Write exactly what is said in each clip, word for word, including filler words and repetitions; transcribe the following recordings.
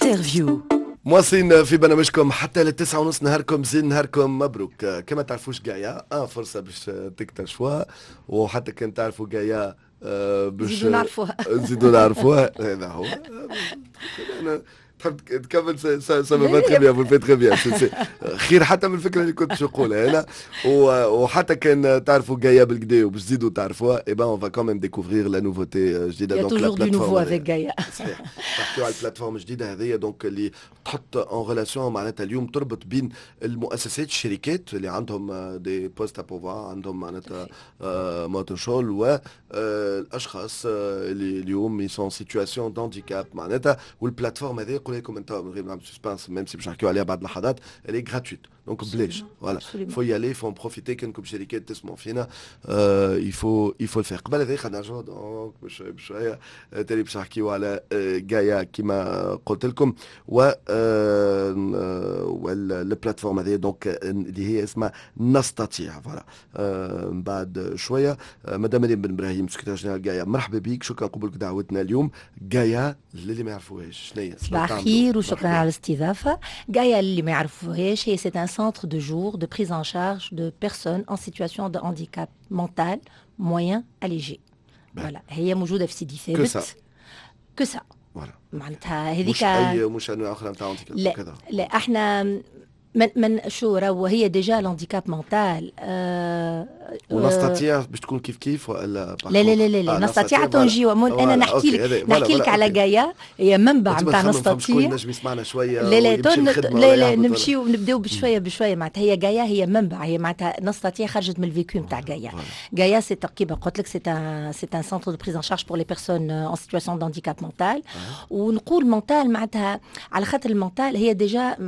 Interview. مواصلين في برنامجكم حتى للتسعة ونص. نهاركم زين، نهاركم مبروك. كما تعرفوش Gaia، اه فرصة باش تكتشفوها، وحتى كان تعرفوا Gaia آه باش نزيدوا نعرفوها. نزيدوا نعرفوها. هذا هو. أنا تحب تكمل، ça va très bien، vous très bien، خير حتى من الفكرة اللي كنت نقولها انا. وحتى كان تعرفوا Gaia بالكدا وباش تزيدوا تعرفوها، eh ben on va quand même découvrir la nouveauté جديده. donc la plateforme nouveau avec Gaia. صحيح، نحكيو على ال plateforme الجديدة هذه، donc اللي تحط en relation، معناتها اليوم تربط بين المؤسسات، الشركات اللي عندهم des postes à pourvoir، عندهم معناتها مواطن شغل، والاشخاص اللي اليوم sont en situation d'handicap معناتها. وال plateforme هذه، نقول لكم انت من غير نعمل suspense، même si باش نحكيو عليها بعد لحظات، elle est gratuite، donc بلاش. voilà، faut y aller، faut en profiter. كانكم شركات تسمعوا فينا، il faut il faut le faire. قبل هذا خلينا نرجعوا donc بشوية بشويه، تالي باش نحكيو على Gaia كيما قلت لكم، و وال plateforme هذه donc اللي هي اسمها نستطيع. voilà، من بعد شويه. مدام مريم بن ابراهيم، secrétaire générale Gaia، مرحبا بك، شكرا قبولك دعوتنا اليوم. Gaia للي ما يعرفوهاش، شنو هي؟ صباح الخير وشكرا على الاستضافه. Gaia اللي ما يعرفوهاش هي c'est un centre de jour de prise en charge de personnes en situation de handicap mental moyen à léger. Voilà، هي موجودة في سيدي ثابت. que ça. Voilà. معناتها هذيك مش اي مش انواع اخرى نتاع handicap. لا لا، احنا من من شو راهو هي déjà l'handicap mental. آه ونستطيع باش تكون كيف كيف ولا؟ لا لا لا لا، لا. آه نستطيع تنجي انا نحكي لك نحكي لك على Gaia، هي منبع نتاع نستطيع. نجم يسمعنا شويه. لا لا لا لا، نمشيو نبداو بشوية بشويه. معناتها هي Gaia هي منبع، هي معناتها نستطيع خرجت من ال vécu نتاع Gaia. Gaia c'est كيما قلت لك c'est un c'est un centre de prise en charge pour les personnes en situation d'handicap mental. ونقول mental معناتها على خاطر ال mental هي déjà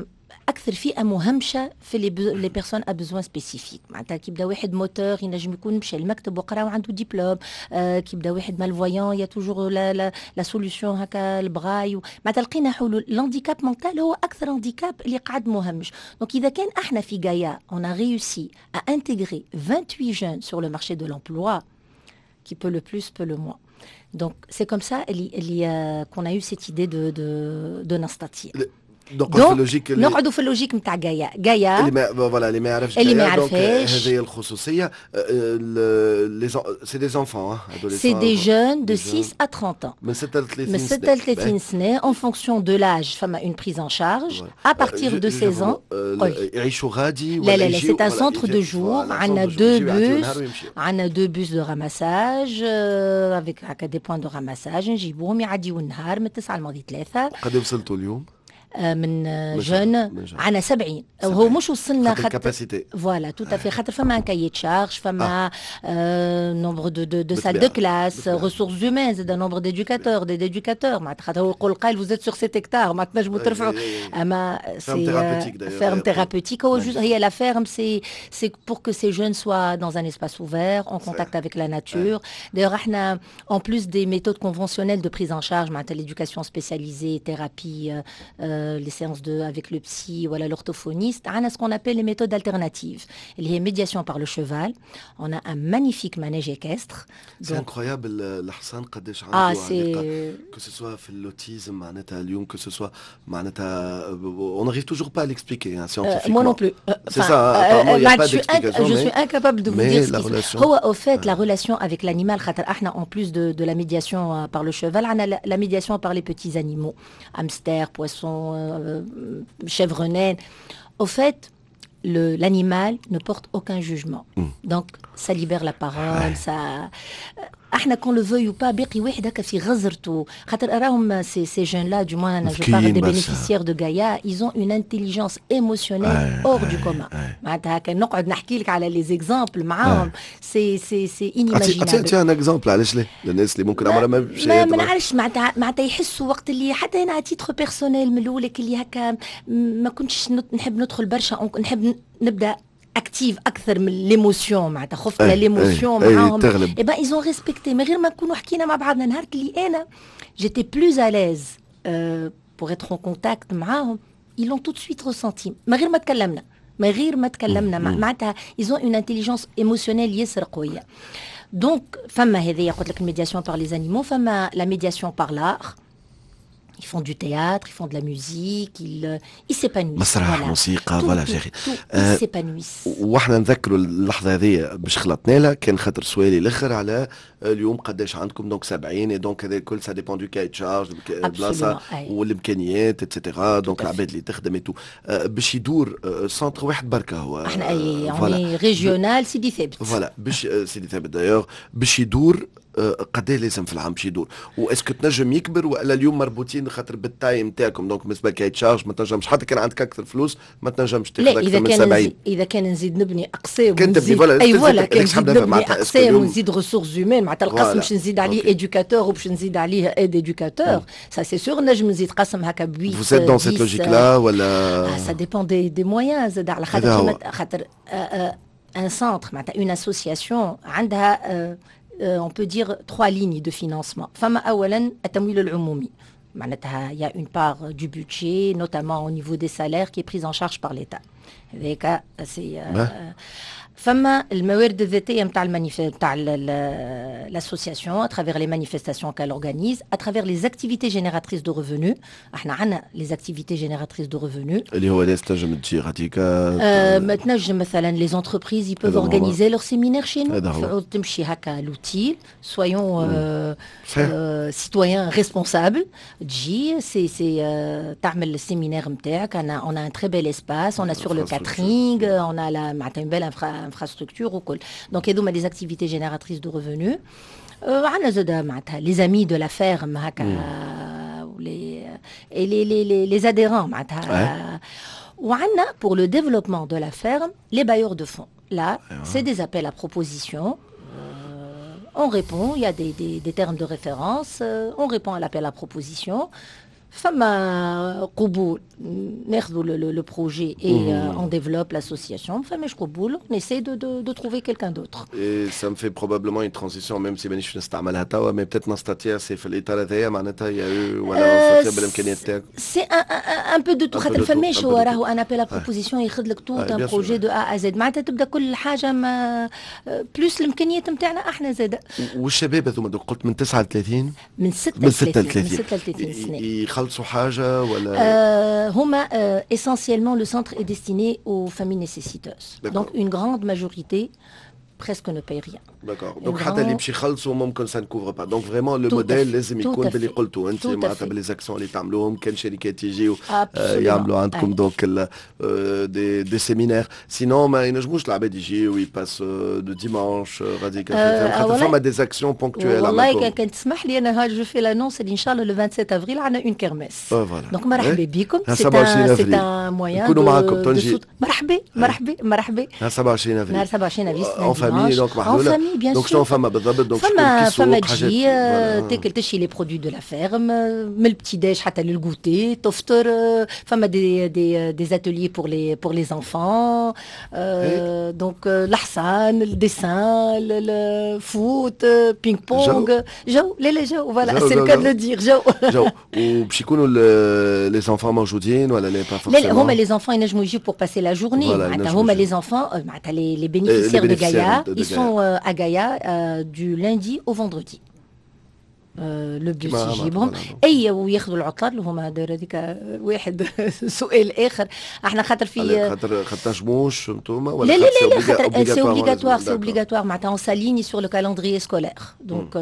اكثر فئة مهمشه في les les personnes à besoins spécifiques. معناتها كي يبدا واحد موتور ينجم يكون مشى المكتب وقرا وعنده ديبلوم، آه كي يبدا واحد malvoyant y a toujours la la, la solution هكا البغاي. معناتها لقينا حلول. l'handicap mental هو اكثر handicap اللي قعد مهمش. donc اذا كان احنا في Gaia on a réussi à intégrer vingt-huit jeunes sur le marché de l'emploi، qui peut le plus peut le moins. Donc c'est comme ça اللي اللي qu'on a eu cette idée de de de نستطيع. donc في ال logique. نقعدوا في ال logique نتاع Gaia. Gaia اللي ما voilà، اللي ما يعرفش اللي ما يعرفهاش. هذه الخصوصيه، c'est des enfants؟ c'est des jeunes de six à trente ans. من ستة ل ثلاثين. من ستة ل ثلاثين سنه، en fonction de l'âge فما une prise en charge à partir de seize ans. يعيشوا غادي؟ لا لا لا، c'est un centre de jour. عندنا deux bus، عندنا deux bus de ramassage avec هكا des points de ramassage، نجيبوهم يعديو النهار من تسعة لماضي ثلاثة. قد وصلتوا اليوم؟ من jeunes عندنا سبعين. هو مش وصلنا خاطر capacité. voilà، tout à fait، خاطر فما un cahier des charges، فما nombre de de de salles de classe، ressources humaines زاد، nombre d'éducateurs des éducateurs. معناتها خاطر هو يقول قايل vous êtes sur sept hectares، ما تنجموا ترفعوا، اما c'est ferme thérapeutique. هو juste هي la ferme c'est c'est pour que ces jeunes soient dans un espace ouvert، en contact avec la nature. D'ailleurs احنا en plus des méthodes conventionnelles de prise en charge، معناتها l'éducation spécialisée، thérapie، les séances de, avec le psy ou l'orthophoniste، on a ce qu'on appelle les méthodes alternatives. اللي هي médiation par le cheval. On a un magnifique manège équestre. C'est incroyable الحصان قداش عنده ah, c'est que ce soit في l'autisme معناتها اليوم، que ce soit معناتها on n'arrive toujours pas à l'expliquer hein, scientifiquement. Euh, moi non plus. C'est ça, apparemment il n'y a pas d'explication. Je suis incapable de vous dire ce qui se هو au fait la relation avec l'animal، خاطر احنا en plus de, de la médiation par le cheval، on a la, la médiation par les petits animaux، hamsters، poissons، euh, chèvres naines. Au fait, l'animal ne porte aucun jugement. Mm. Donc, ça libère la parole, ça. احنا qu'on le veuille ou pas، باقي واحد هكا في غزرته، خاطر راهم ces ces jeunes-là، du moins انا je parle des bénéficiaires de Gaia، ils ont une intelligence émotionnelle hors du commun. معناتها هكا نقعد نحكي لك على les exemples معاهم، c'est c'est c'est inimaginable. اعطي un exemple، علاش لا، للناس اللي ممكن عمرها ما ما, ما نعرفش، معناتها معناتها يحسوا وقت اللي حتى انا à titre personnel من الاول اللي هكا ما كنتش نحب ندخل برشا، نحب نبدا active اكثر من l'émotion، معناتها خفت l'émotion معاهم. eh ben ils ont respecté من غير ما نكونوا حكينا مع بعضنا. نهار اللي انا j'étais plus à l'aise pour être en contact معاهم، ils l'ont tout de suite ressenti من غير ما تكلمنا، من غير ما تكلمنا. معناتها ils ont une intelligence émotionnelle ياسر قويه. donc فما هذه قلت لك ال médiation par les animaux، فما la médiation par l'art. Ils font du théâtre, ils font de la musique, ils, ils s'épanouissent. مسرح، موسيقى، voilà gérer. Ils s'épanouissent. واحنا نذكروا اللحظة هذه باش خلطنا لها، كان خاطر سؤالي الاخر على اليوم قداش عندكم، donc سبعين، donc هذا الكل ça dépend du cahier des charges، بلاصة والامكانيات et cetera، donc العباد اللي تخدم et tout باش يدور centre واحد بركة هو. احنا اي يعني régional سيدي ثابت. voilà، باش سيدي ثابت d'ailleurs باش يدور، قد لازم في العام باش يدور؟ و est-ce que تنجم يكبر والا اليوم مربوطين خاطر بال taille نتاعكم؟ donc بالنسبة ل cahier des charges ما تنجمش، حتى كان عندك اكثر فلوس ما تنجمش تاخذ اكثر إذا من كان سبعين. اذا كان نزيد نبني اقسام كان تبني، voilà. اي voilà، كان نزيد نبني اقسام ونزيد ressources humaines، معناتها القسم باش نزيد عليه éducateur وباش نزيد عليه aide éducateur، ça c'est sûr نجم نزيد قسم هكا بويت. Vous êtes dans cette logique-là ولا؟ ça dépend des des moyens زاد، على خاطر خاطر un centre، معناتها une association عندها on peut dire trois lignes de financement. فما اولا التمويل العمومي، معناتها il y a une part du budget، notamment au niveau des salaires، qui est prise en charge par l'État. هذاك c'est فما الموارد الذاتية نتاع ال manif نتاع l'association à travers les manifestations qu'elle organise، à travers les activités génératrices de revenus. احنا عندنا les activités génératrices de revenus. اللي هو ناس تنجم تجي غاديك؟ ما تنجم مثلا les entreprises، ils peuvent organiser leur séminaire chez nous. تمشي هكا l'hôtel، soyons citoyens responsables، تجي c'est c'est تعمل ال séminaire نتاعك. on a un très bel espace، on assure le catering، on a la معناتها une belle infrastructure وكل. donc هذوما les activités génératrices de revenus. عندنا زاد معناتها les amis de la ferme هكا les les les les adhérents معناتها. وعندنا pour le développement de la ferme les bailleurs de fonds. Là, c'est des appels à propositions. Euh, on répond, il y a des, des, des termes de référence, euh, on répond à l'appel à proposition. فما قبول ناخذوا le projet et on développe l'association، فماش قبول on essaie de, de, de trouver quelqu'un d'autre. Et ça me fait probablement une transition، même si مانيش نستعملها توا، mais peut-être نستطيع c'est في الاطار هذايا معناتها يا ولا نستطيع بالامكانيات تاعك. c'est un peu de tout، خاطر فماش هو راهو un appel à proposition ياخذ لك tout un projet de A à Z، معناتها تبدا كل حاجة ما plus الامكانيات نتاعنا احنا زاد. والشباب هذوما قلت من تسعة وثلاثين؟ من ستة وثلاثين. من ستة وثلاثين سنه. يخلصوا حاجة ولا؟ آه هما euh, essentiellement le centre est destiné aux familles nécessiteuses. Donc une grande majorité presque ne paye rien. D'accord. Donc حتى اللي باش يخلصوا ممكن ça ne couvre pas. Donc vraiment le modèle لازم يكون باللي قلتوا انت، معناتها ب les actions اللي تعملوهم، كان شركات يجيو يعملوا عندكم donc des des séminaires، sinon ما ينجموش العباد يجيو ils passent le dimanche غادي، خاطر فما des actions ponctuelles. والله كان تسمح لي انا je fais l'annonce اللي ان شاء الله le vingt-sept افريل عندنا une kermesse. donc مرحبا بكم، c'est un c'est un moyen. نكونوا معاكم تنجي. مرحبا مرحبا مرحبا. نهار سبعة وعشرين افريل. نهار سبعة وعشرين افريل. en famille donc محلوله. bien donc شنو فما بالضبط؟ donc فما فما تجي تاكل، تشري les produits de la ferme، من ال petit déj حتى لل goûter، تفطر، فما des des des ateliers pour les pour les enfants، donc الحصان، ال dessin، ال foot، ping-pong، جو لا لا جو، voilà، c'est le cas de le dire، جو. جو، وباش يكونوا les enfants موجودين ولا لا؟ pas لا، هما les enfants ينجموا يجيو pour passer la journée. معناتها هما les enfants، معناتها les bénéficiaires de Gaïa، ils sont à Gaïa euh, du lundi au vendredi. le bus يجيبهم اي وياخذوا العطلات اللي هما هذيك واحد سؤال اخر احنا خاطر في خاطر خاطر تنجموش انتوما ولا؟ لا لا لا، خاطر c'est obligatoire، c'est obligatoire، معناتها on s'aligne sur le calendrier scolaire، donc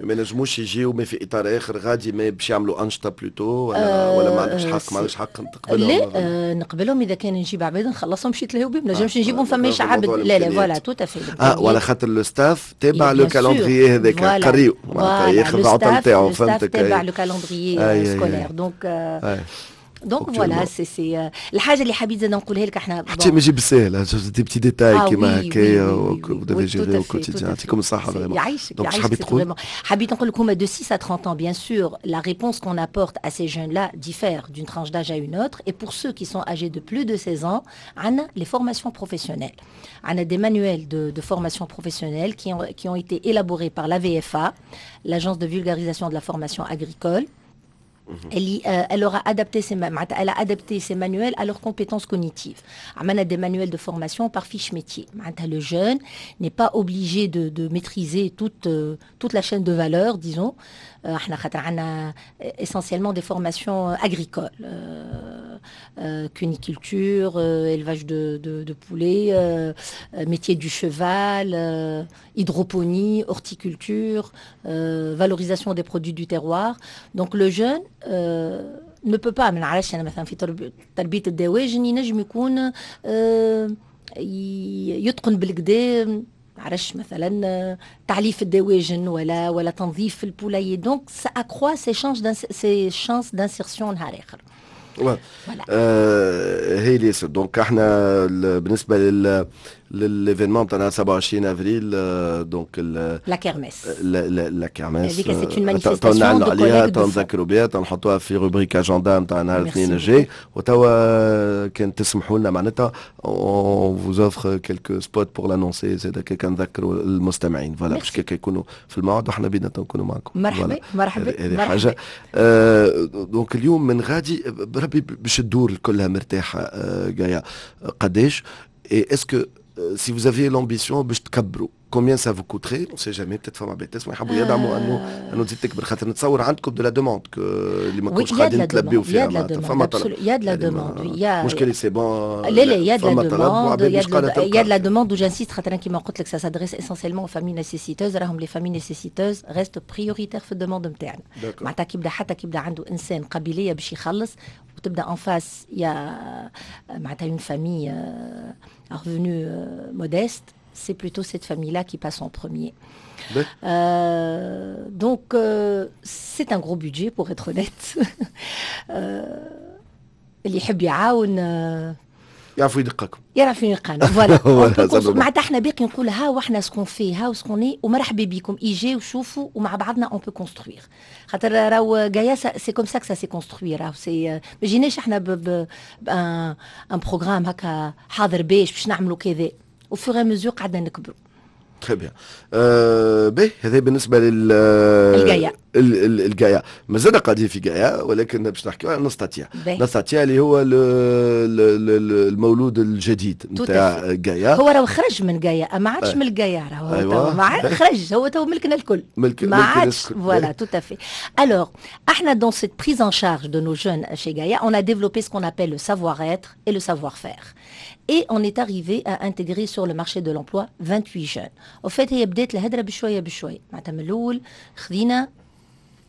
ما ينجموش يجيو mais في اطار اخر غادي، mais باش يعملوا انشطة plutôt، ولا ولا ما عندكش حق، ما عندكش حق تقبلهم؟ لا، نقبلهم اذا كان نجيب عباد نخلصهم باش يتلهوا بهم، نجمش نجيبهم فماش عبد، لا لا، voilà، tout à fait. اه ولا خاطر le staff تابع le calendrier هذاك قريو، معناتها ياخذ العطل نتاعو، فهمتك. تابع le calendrier scolaire، donc donc voilà، c'est c'est الحاجة اللي حبيت زاد نقولها لك احنا. حتى ما يجي بالساهل، des petits détails كيما هكايا vous devez gérer au quotidien. يعطيكم الصحة vraiment. يعيشك يعيشك. حبيت تقول حبيت نقول لك هما de six à trente ans، bien sûr la réponse qu'on apporte à ces jeunes-là diffère d'une tranche d'âge à une autre، et pour ceux qui sont âgés de plus de seize ans عندنا les formations professionnelles، عندنا des manuels de, de formation professionnelle qui ont, qui ont été élaborés par l'A V F A، l'agence de vulgarisation de la formation agricole. اللي elle aura adapté ses معناتها elle a adapté ses manuels à leurs compétences cognitives. عملنا des manuels de formation par fiche métier. معناتها le jeune n'est pas obligé de, de maîtriser toute toute la chaîne de valeur, disons. احنا خاطر عندنا essentiellement des formations agricoles, euh, cuniculture, euh, élevage de, de, de poulets, euh, métier du cheval, hydroponie, horticulture, valorisation des produits du terroir. Donc le jeune ne peut pas، ما نعرفش انا، مثلا في تربيه الدواجن ينجم يكون يتقن بالقدا، عرفش، مثلا تعليف الدواجن ولا ولا تنظيف ال poulailler، donc ça accroît ses chances ses chances d'insertion نهار اخر. آه هي ليس donc احنا بالنسبه لل لل événement تاعنا سبعة وعشرين افريل، donc la kermesse. la kermesse. هذيك c'est une manifestation. نعلنوا عليها، نذكروا بها، نحطوها في rubrique agenda نتاع نهار الاثنين الجاي. وتوا كان تسمحوا لنا معناتها on vous offre quelques spots pour l'annoncer زاد، كي نذكروا المستمعين، voilà، باش كي يكونوا في الموعد وحنا بينا نكونوا معكم. مرحبا مرحبا. هذه حاجه. donc اليوم من غادي بربي باش تدور كلها مرتاحه جايه قداش؟ et est-ce que si vous aviez l'ambition باش تكبروا، combien ça vous coûterait؟ on sait jamais، peut-être فما عباد تسمع يحبوا يدعموا انه انه تزيد تكبر، خاطر نتصور عندكم de la demande اللي ما كنتش قاعدين تلبيو فيها. فما طلب، il y a de la demande. مشكل c'est bon. لا لا، il y a de la demande، il y a de la demande و j'insiste خاطر كيما قلت لك ça s'adresse essentiellement aux familles nécessiteuses. راهم les familles nécessiteuses restent prioritaires في ال demande نتاعنا. معناتها كيبدا حتى كيبدا عنده انسان قابليه باش يخلص وتبدا en face il y a معناتها une famille à revenu modeste، c'est plutôt cette famille-là qui passe en premier. Euh, donc, euh, c'est un gros budget, pour être honnête. اللي يحب يعاون يعرفوا يدقكم. يعرفوا يلقانا، voilà. معناتها احنا باقي نقول ها واحنا ce qu'on fait، ها ce qu'on est، ومرحبا بكم، ايجي وشوفوا ومع بعضنا on peut construire، خاطر راهو Gaia c'est comme ça ça s'est construit. راهو c'est ما جيناش احنا ب un programme هكا حاضر باش باش نعملوا كذا، au fur et à mesure قعدنا نكبروا. très bien. باهي، هذا بالنسبه لل الجايا. الجايا. مازلنا قاعدين في جايا، ولكن باش نحكيو على نستطيع. نستطيع اللي هو المولود الجديد نتاع جايا. هو راه خرج من جايا، ما عادش من الجايا، راهو أيوة. ما عاد خرج، هو تو ملكنا الكل. ملك ما عادش، voilà، tout à fait. alors احنا dans cette prise en charge de nos jeunes chez Gaïa، on a développé ce qu'on appelle le savoir-être et le savoir-faire. Et on est arrivé à intégrer sur le marché de l'emploi vingt-huit jeunes. Au fait هي بدات الهدره بشويه بشويه، معناتها من الاول خذينا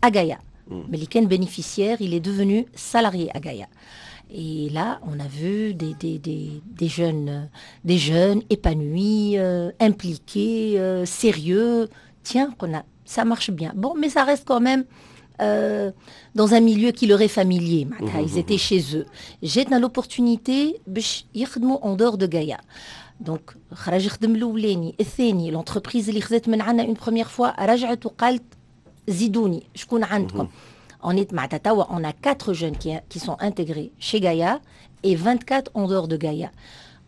à Gaïa. Mais اللي كان bénéficiaire، il est devenu salarié à Gaïa. Et là، on a vu des, des, des, des jeunes, des jeunes épanouis, euh, impliqués, euh, sérieux. Tiens، قلنا، ça marche bien. Bon، mais ça reste quand même euh, dans un milieu qui leur est familier. معناتها ils étaient chez eux. جاتنا l'opportunité باش يخدموا en dehors de Gaïa. donc خرج يخدم الاولاني، الثاني، l'entreprise اللي خذت من عندنا une première fois رجعت وقالت زيدوني، شكون عندكم؟ On est معناتها توا on a quatre jeunes qui, qui sont intégrés chez Gaïa et vingt-quatre en dehors de Gaïa.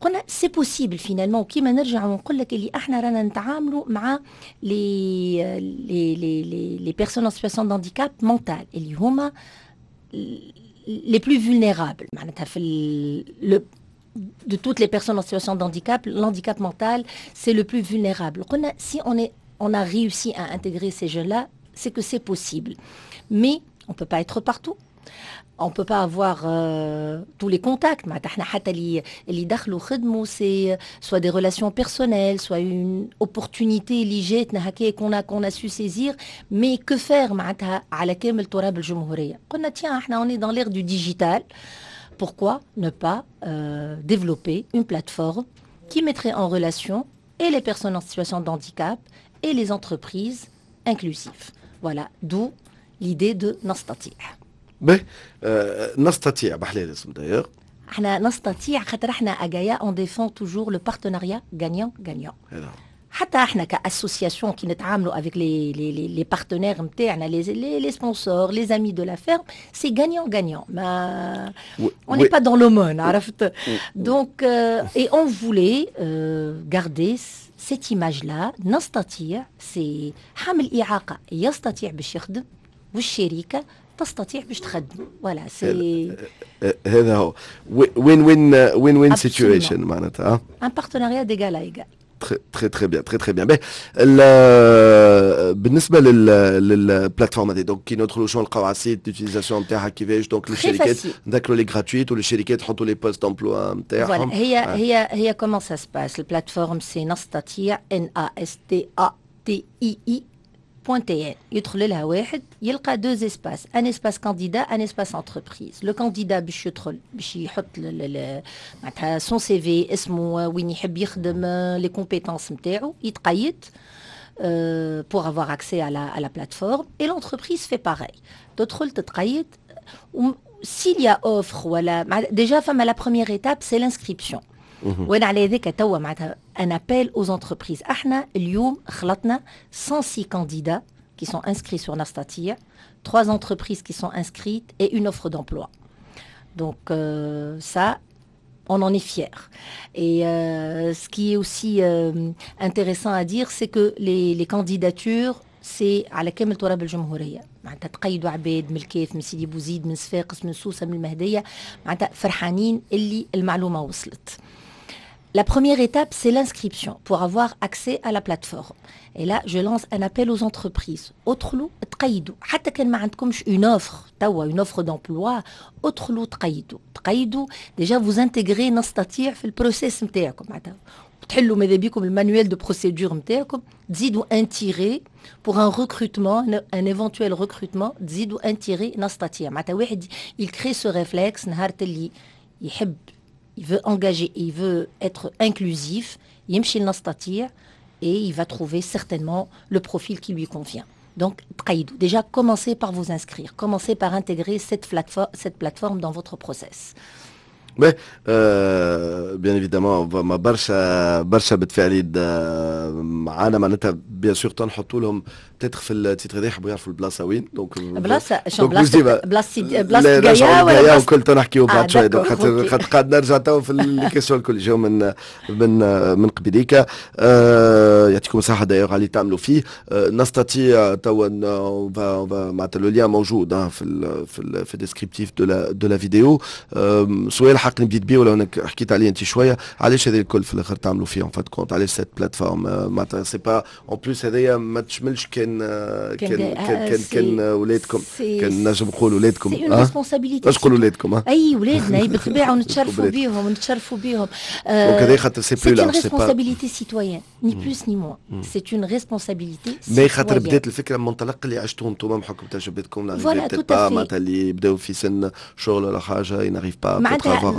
قلنا c'est possible finalement. كيما نرجع ونقول لك اللي احنا رانا نتعاملوا مع les les les les les personnes en situation d'handicap mental اللي هما les plus vulnérables، معناتها في le de toutes les personnes en situation de handicap، l'handicap mental، c'est le plus vulnérable. قلنا si on, est, on a réussi à intégrer ces jeunes-là، c'est que c'est possible. Mais on ne peut pas être partout. On ne peut pas avoir euh, tous les contacts. C'est soit des relations personnelles، soit une opportunité اللي جاتنا هكا qu'on a qu'on a su saisir. Mais que faire معناتها على كامل تراب الجمهورية؟ قلنا tiens، احنا on est dans l'ère du digital. Pourquoi ne pas euh, développer une plateforme qui mettrait en relation et les personnes en situation de handicap et les entreprises inclusives؟ Voilà، d'où l'idée de نستطيع. باهي، آه نستطيع بحلال الاسم d'ailleurs. احنا نستطيع خاطر احنا à Gaïa on défend toujours le partenariat gagnant gagnant. حتى احنا ك association كي نتعاملوا avec les les les les partenaires نتاعنا، les les les sponsors، les amis de la ferme، c'est gagnant gagnant، ما on n'est pas dans l'aumône، عرفت؟ donc et on voulait garder cette image là. نستطيع، c'est حامل إعاقة يستطيع باش يخدم والشركة تستطيع باش تخدمه. voilà، c'est هذا هو win win win win situation معناتها. un partenariat d'égal à égal. très très bien، très très bien. بالنسبة لل لل plateforme هذه، donc كي ندخلوا شنو نلقاو على ال site؟ l'utilisation نتاعها كيفاش؟ donc للشركات نذكروا les gratuites، وللشركات يحطوا les postes d'emploi نتاعهم. هي هي هي comment ça se passe؟ ال plateforme c'est نستطيع، N A S T A T I I point T N. يدخل لها واحد يلقى deux espaces، un espace candidat، un espace entreprise. le candidat باش يدخل باش يحط معناتها son CV، اسمه، وين يحب يخدم، les compétences نتاعو، يتقيد pour avoir accès à la, à la plateforme، et l'entreprise fait pareil، تدخل تتقيد s'il y a offre. ولا déjà فما la première étape، c'est l'inscription. وانا على ذاك توا معناتها un appel aux entreprises. احنا اليوم خلطنا مية وستة candidats qui sont inscrits sur Nastatir، trois entreprises qui sont inscrites et une offre d'emploi. Donc euh, ça، on en est fier. Et euh, ce qui est aussi euh, intéressant à dire، c'est que les, les candidatures، c'est على كامل تراب الجمهورية. معناتها تقيدوا عباد من الكاف، من سيدي بوزيد، من صفاقس، من سوسة، من المهدية. معناتها فرحانين اللي المعلومة وصلت. La première étape، c'est l'inscription pour avoir accès à la plateforme. Et là، je lance un appel aux entreprises. ادخلوا تقيدوا، حتى كان ما عندكمش une offre توا، une offre d'emploi، ادخلوا تقيدوا. تقيدوا déjà، vous intégrez نستطيع في ال processus نتاعكم. معناتها تحلوا ماذا بيكم ال manuel de procédure نتاعكم، تزيدوا un tiret pour un recrutement، un éventuel recrutement، تزيدوا un tiret نستطيع. معناتها واحد il crée ce réflexe، نهار اللي يحب، il veut engager، il veut être inclusif، يمشي لنستطيع et il va trouver certainement le profil qui lui convient. Donc، تقيدوا. Déjà، commencez par vous inscrire, commencez par intégrer cette plateforme, cette plateforme dans votre process. Mais bien évidemment ما برشا برشا متفاعلين معانا، معناتها bien sûr تنحطوا لهم peut-être في ال titre هذا، يحبوا يعرفوا البلاصة وين. donc بلاصة شو؟ بلاصة بلاصة بلاصة جايا ولا وكل نحكيو بعد شوي. donc خاطر خاطر قاعد نرجع تو في les questions الكل جاو من من من قبليك. آه يعطيكم الصحة d'ailleurs على اللي تعملوا فيه. آه نستطيع تو معناتها le lien موجود في ال في ال في descriptif de la de la vidéo. سؤال حق نبديت بيه ولا حكيت عليه انت شويه، علاش هذا الكل في الاخر تعملوا فيه؟ en fin de compte علاش cette plateforme؟ معناتها c'est pas en plus هذايا ما تشملش كان كان كان كان, كان ولادكم، كان نجم نقول ولادكم. c'est une responsabilité. باش نقول ولادكم. اي، ولادنا، اي بالطبيعه، ونتشرفوا بيهم ونتشرفوا بيهم. donc هذا خاطر c'est plus large، c'est responsabilité citoyenne، ni plus ni moins، c'est une responsabilité. mais خاطر بدات الفكرة من منطلق اللي عشتوه انتم بحكم تجربتكم. voilà، tout معناتها اللي يبداو في سن شغل ولا حاجه، n'arrivent pas معناتها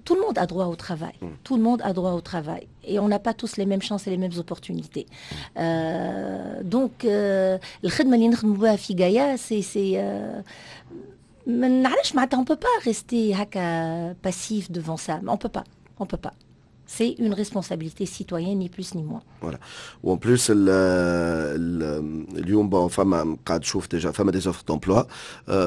tout le monde a droit au travail. Mm. Tout le monde a droit au travail. Et on n'a pas tous les mêmes chances et les mêmes opportunités. Euh, donc, الخدمة اللي نخدموا بها في غايا، c'est c'est ما نعرفش، معناتها on peut pas rester هكا passif devant ça. On peut pas. On peut pas. C'est une responsabilité citoyenne، ni plus ni moins. Voilà. و en plus ال ال اليوم bon فما قاعد تشوف déjà فما des offres d'emploi،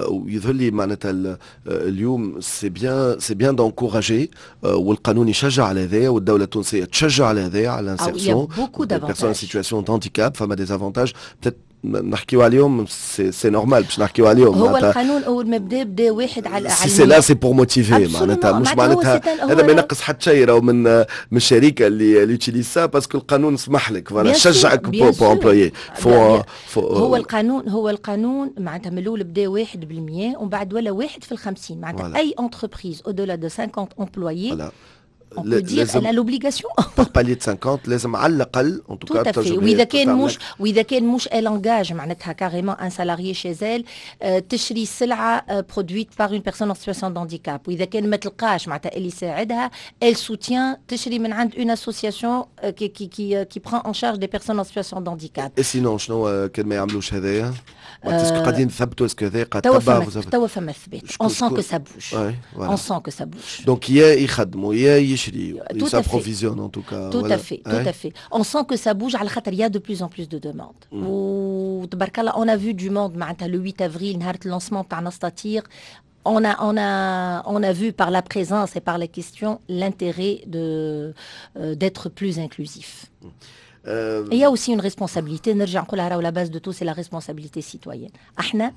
ويظهر لي معناتها اليوم c'est bien c'est bien d'encourager، والقانون يشجع على هذايا والدولة التونسية تشجع على هذايا، على l'insertion des personnes en situation de handicap. فما des avantages peut-être نحكيو عليهم، c'est c'est normal باش نحكيو عليهم. هو القانون اول ما بدا، بدا واحد على si c'est là، c'est pour motiver. معناتها مش معناتها هذا ما ينقص حتى شيء راهو من من الشركة اللي اللي utilise ça، parce que القانون سمح لك، voilà، شجعك pour employer. هو القانون هو القانون معناتها من الاول بدا واحد بالمية ومن بعد ولا واحد في الخمسين. معناتها اي entreprise au-delà de cinquante employés، on peut dire elle a l'obligation. par palier de cinquante لازم على الاقل en tout cas. tout à fait. واذا كان مش واذا كان مش elle engage معناتها carrément un salarié chez elle، تشري سلعه produite par une personne en situation de handicap. واذا كان ما تلقاش معناتها اللي يساعدها، elle soutient، تشري من عند une association qui qui qui qui prend en charge des personnes en situation de handicap. et sinon شنو كان ما يعملوش هذايا؟ est-ce que قاعدين نثبتوا؟ est-ce que هذايا قاعد توا فما توا فما ثبات، on sent que ça bouge، on sent que ça bouge. donc يا يخدموا يا يشريوا، s'approvisionnent en tout cas. Tout à fait، tout à fait. On sent que ça bouge على خاطر il y a de plus en plus de demandes. وتبارك الله on a vu du monde معناتها le huit avril، نهار ال lancement تاع نستطيع، on a, on a, on a vu par la présence et par les questions l'intérêt de, euh, d'être plus inclusif. Il y a aussi une responsabilité، نرجع نقولها، راهو la base de tout c'est la responsabilité citoyenne. احنا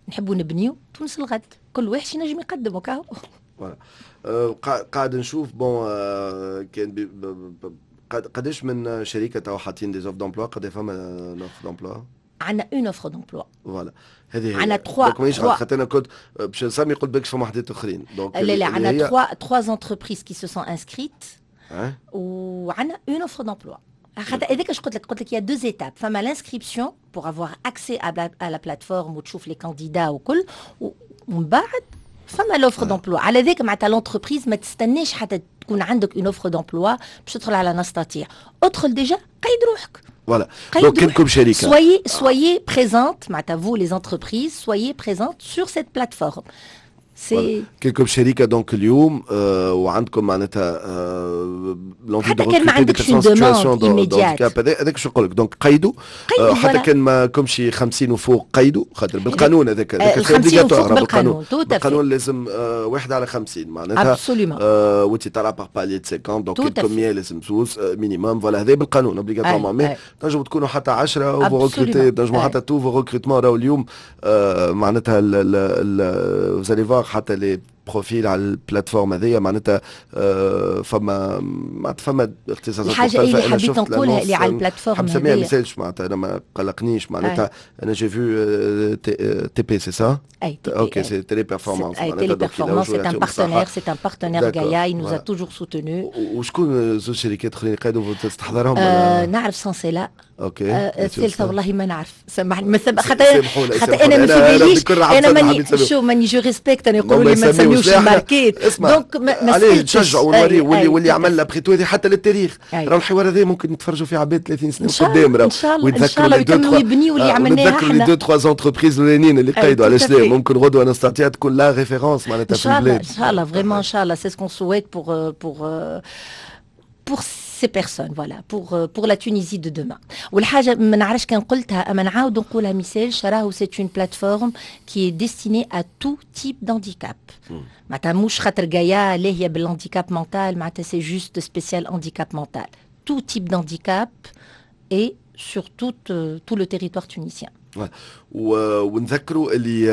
نحبوا نبنيو تونس الغد، كل واحد ينجم يقدم وكاهو. voilà، قاعد نشوف، bon، كان قداش من شركة تو حاطين des offres d'emploi؟ قد فما offre d'emploi؟ عندنا une offre d'emploi. voilà، هذه هي. عندنا trois. donc مانيش خاطر انا كنت باش نسمي، قلت بك فما وحدات اخرين. donc لا لا، عندنا trois trois entreprises qui se sont inscrites وعندنا une offre d'emploi. خاطر هذاك اش قلت لك، قلت لك il y a deux étapes: فما l'inscription pour avoir accès à la plateforme وتشوف les candidats وكل، ومن بعد فما l'offre d'emploi. على ذاك معناتها l'entreprise ما تستناش حتى تكون عندك une offre d'emploi باش تدخل على نستطيع، ادخل déjà قيد روحك. voilà، donc كلكم شركه. soyez soyez présentes، معناتها vous les entreprises، soyez présentes sur cette plateforme. c'est كلكم شركة donc اليوم آه وعندكم معناتها آه حتى كان ما عندكش une demande immédiate. هذاك شو نقول لك، donc قيدوا آه حتى كان ما كمش خمسين وفوق قيدوا، خاطر بالقانون هذاك هذاك obligatoire بالقانون. بالقانون لازم آه واحد على خمسين معناتها. absolument. آه وانت طالع par palier cinquante، donc كلكم مية لازم زوز minimum. voilà، هذا بالقانون obligatoirement، mais تنجموا تكونوا حتى عشرة و vous recrutez، تنجموا حتى tous vos recrutements. راهو اليوم آه معناتها vous allez voir حتى les profils على ال plateforme هذيا، معناتها آه، فما معناتها فما اختصاصات. الحاجة اللي حبيت نقولها اللي على ال plateforme. نسميها ما يسالش، معناتها انا ما قلقنيش، معناتها انا j'ai vu TP، c'est ça؟ اي. OK، c'est Téléperformance. Téléperformance، c'est un partenaire، c'est un partenaire Gaia، il nous a toujours soutenu. وشكون زوج شركات اخرين قاعدوا تستحضرهم؟ آه نعرف سانسيلا. OK. الثالثة والله ما نعرف، سامحني، خاطر خاطر انا ما في باليش، انا ماني شو ماني je respecte، انا يقولوا لي ما تسميوش الماركات، donc ما عليه نشجعوا ونوري واللي واللي عمل après tout هذه حتى للتاريخ. راهو الحوار هذا ممكن نتفرجوا فيه عباد ثلاثين سنة قدام راهو. ان شاء الله، ان شاء الله يكملوا يبنيوا اللي عملناه. احنا les deux trois entreprises الاولانيين اللي قيدوا، علاش لا؟ ممكن غدوه نستطيع تكون la référence معناتها في البلاد. ان شاء الله، vraiment ان شاء الله، c'est ce qu'on souhaite pour pour pour ces personnes، voilà، pour pour la Tunisie de demain. والحاجة ما نعرفش كان قلتها اما نعاود نقولها ميسالش، راهو c'est une plateforme qui est destinée à tout type d'handicap. معناتها مش خاطر Gaia اللي هي بال handicap mental معناتها c'est juste spécial handicap mental، tout type d'handicap et sur tout, tout le territoire tunisien. ونذكروا اللي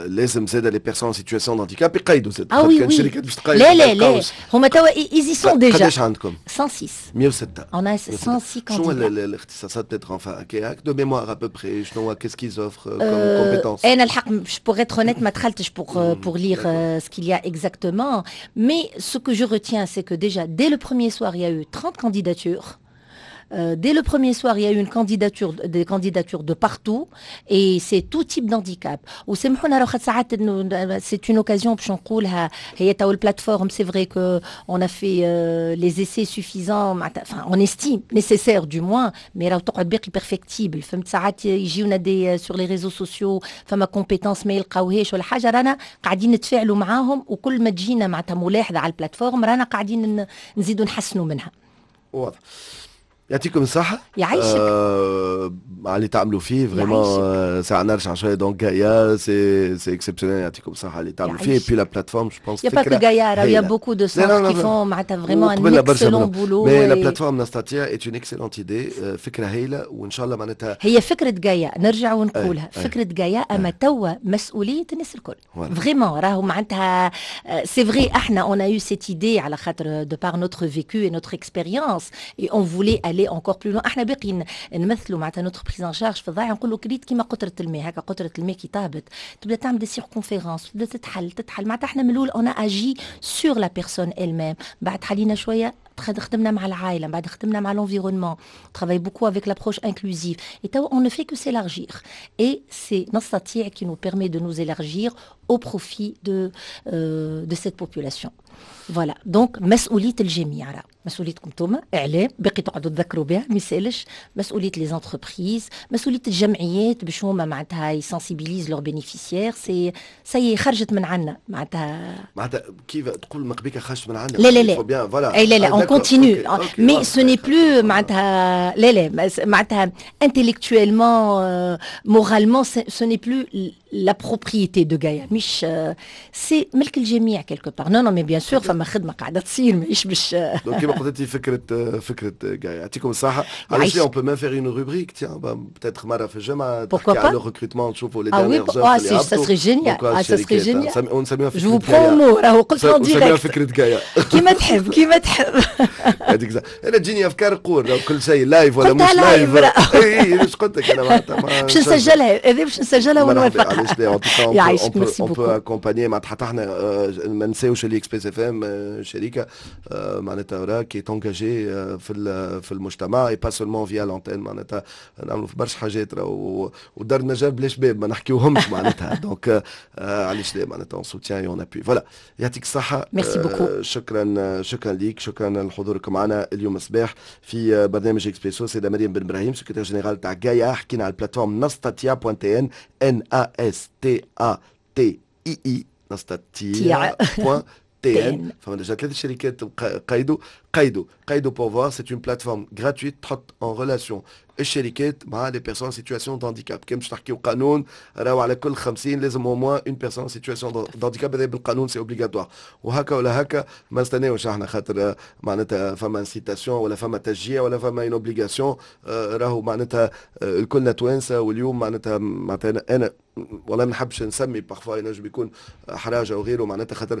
لازم زاد les personnes en situation d'handicap يقيدوا زاد. اه oui كان شركات باش تقيد. لا لا لا، هما توا ils y sont déjà. قداش عندكم؟ مية وستة. مية وستة. On a cent six. شنو الاختصاصات peut-être، enfin هكاك de mémoire à peu près، شنو qu'est-ce qu'ils offrent comme compétences؟ انا الحق pour être honnête ما دخلتش pour pour lire ce qu'il y a exactement، mais ce que je retiens c'est que déjà dès le premier soir il y a eu trente candidatures. Euh, dès le premier soir, il y a eu une candidature, des candidatures de partout, et c'est tout type d'handicap. C'est une occasion باش نقولها، هي توا ال plateforme، c'est vrai que on a fait euh, les essais suffisants، enfin on estime nécessaire du moins، mais راهو تقعد باقي perfectible، فهمت؟ ساعات يجيونا des sur les réseaux sociaux فما compétences ما يلقاوهاش ولا حاجه، رانا قاعدين نتفاعلوا معاهم، وكل ما تجينا معناتها ملاحظة على ال plateforme رانا قاعدين نزيدوا نحسنوا منها. واضح، يعطيكم الصحة. يعيشك. آه على اللي تعملوا فيه، vraiment ساعة نرجع شوية، donc Gaia c'est c'est exceptionnel، يعطيكم الصحة اللي تعملوا فيه، puis la plateforme je pense. y a pas que Gaia، y a beaucoup de centres qui font معناتها vraiment un excellent boulot. mais la plateforme نستطيع est une excellente idée، فكرة هايلة، وان شاء الله معناتها هي فكرة Gaia، نرجع ونقولها فكرة Gaia، اما توا مسؤولية الناس الكل vraiment. راهو معناتها c'est vrai احنا on a eu cette idée على خاطر de par notre vécu et notre expérience et on voulait aller encore plus loin. احنا باقي نمثلوا معناتها notre prise en charge في الضايع، نقولوا كريت كيما قطرة الماء هكا، قطرة الماء كي تهبط تبدا تعمل des circonférences، تبدا تتحل تتحل. معناتها احنا من الاول on a agi sur la personne elle-même، بعد حلينا شويه، خدمنا مع العائله، بعد خدمنا مع l'environnement، travaille beaucoup avec l'approche inclusive et توا on ne fait que s'élargir et c'est نستطيع qui nous permet de nous élargir au profit de euh, de cette population. voilà، donc مسؤولية الجميع، راه مسؤوليتكم انتوما اعلام، باقي تقعدوا تذكروا بها ما يسالش، مسؤولية les entreprises، مسؤولية الجمعيات باش هما معناتها ي sensibilisent leurs bénéficiaires. c'est ça y est، خرجت من عندنا معناتها. معناتها كيف تقول من قبيلة خرجت من عندنا؟ لا لا لا، voilà. اي لا لا، on continue mais ce n'est plus معناتها، لا لا، معناتها intellectuellement، moralement ce n'est plus la propriété de Gaïa، مش c'est ملك الجميع quelque part. non non mais bien sûr فما خدمة قاعدة تصير، ماهيش باش donc كيما قلت انت، فكره فكره جايا، يعطيكم الصحه. علاش on peut même faire une rubrique، tiens، peut-être مرة في الجمعة تحكي على le recrutement، نشوفوا les dernières offres. اه ça serait génial، اه ça serait génial. ونسميها فكره je prends mot، راهو قلت en direct فكرة جايا. كيما تحب، كيما تحب. هذيك انا تجيني افكار قول كل شيء live ولا مش live. اي ايش قلت لك انا معناتها باش نسجلها، هذه باش نسجلها ونوافقها. علاش لا؟ يعيشك، merci beaucoup. on peut accompagner معناتها، حتى احنا ما نساوش اللي Express FM شركة معناتها راه qui est engagée في في المجتمع et pas seulement via l'antenne، معناتها نعملوا في برشا حاجات ودار نجار بلاش باب ما نحكيوهمش معناتها. donc علاش لا؟ معناتها on soutient، on appuie، voilà. يعطيك الصحه. merci beaucoup. شكرا، شكرا ليك، شكرا لحضورك معنا اليوم الصباح في برنامج اكسبريسو، سيده مريم بن ابراهيم، secrétaire générale تاع جايا. حكينا على ال plateforme نستاتيا point tn، N A S T A T I I، نستاتيا point tn. فما déjà ثلاث شركات قيدوا قيدوا قيدوا pour voir. c'est une plateforme gratuite تحط en relation الشركات مع les personnes en situation d'handicap. كان باش تحكيو قانون، راهو على كل خمسين لازم au moins une personne en situation d'handicap، هذا بالقانون c'est obligatoire. وهكا ولا هكا ما نستناوش احنا خاطر معناتها فما incitation ولا فما تشجيع ولا فما une obligation. راهو معناتها الكلنا توانسه. واليوم معناتها معناتها انا والله ما نحبش نسمي، parfois ينجم يكون حراج او غيره، معناتها خاطر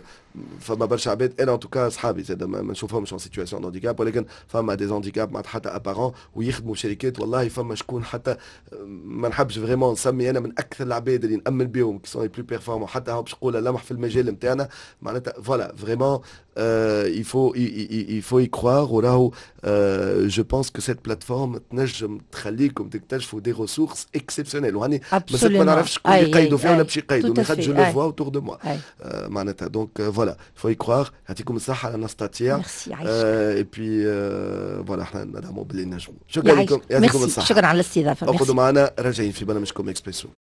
فما برشا عباد، انا en tout cas اصحابي زاد ما نشوفهمش en situation d'handicap، ولكن فما des handicaps معناتها حتى apparents ويخدموا شركات. والله فما شكون، حتى ما نحبش vraiment نسمي، انا من اكثر العباد اللي نامن بهم qui sont les plus performants، حتى هو باش نقول لمح في المجال نتاعنا معناتها. voilà، vraiment il faut il faut y croire. وراهو je pense que cette plateforme تنجم تخليكم تكتشفوا des ressources exceptionnelles. وهاني ما نعرفش شكون اللي يقيدوا فيها ولا باش يقيدوا، mais خاطر je le vois autour de moi معناتها. donc voilà، faut y croire. يعطيكم الصحة على نستاتيا. et puis voilà، احنا ندعموا باللي نجموا. شكرا لكم، يعطيكم الصحة. شكرا على الاستضافة. اقعدوا معنا، راجعين في برنامجكم اكسبريسو.